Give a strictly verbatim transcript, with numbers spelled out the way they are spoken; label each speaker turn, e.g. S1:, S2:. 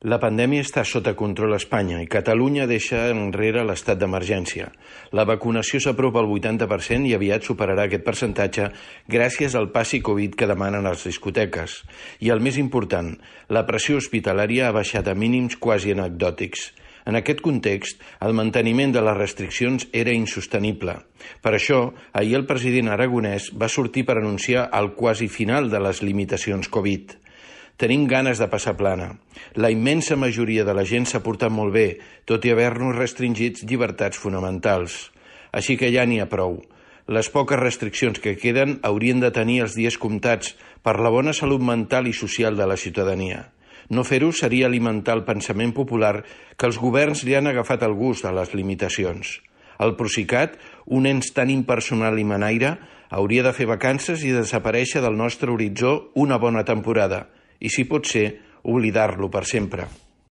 S1: La pandèmia està sota control a Espanya i Catalunya deixa enrere l'estat d'emergència. La vacunació s'apropa al vuitanta per cent i aviat superarà aquest percentatge gràcies al passi Covid que demanen les discoteques. I el més important, la pressió hospitalària ha baixat a mínims quasi anecdòtics. En aquest context, el manteniment de les restriccions era insostenible. Per això, ahir el president aragonès va sortir per anunciar el quasi final de les limitacions Covid. Tenim ganes de passar plana. La immensa majoria de la gent s'ha portat molt bé, tot i haver-nos restringits llibertats fonamentals. Així que ja n'hi ha prou. Les poques restriccions que queden haurien de tenir els dies comptats per la bona salut mental i social de la ciutadania. No fer-ho seria alimentar el pensament popular que els governs li han agafat el gust a les limitacions. El Procicat, un ens tan impersonal i manaire, hauria de fer vacances i desaparèixer del nostre horitzó una bona temporada, i si pot ser, oblidar-lo per sempre.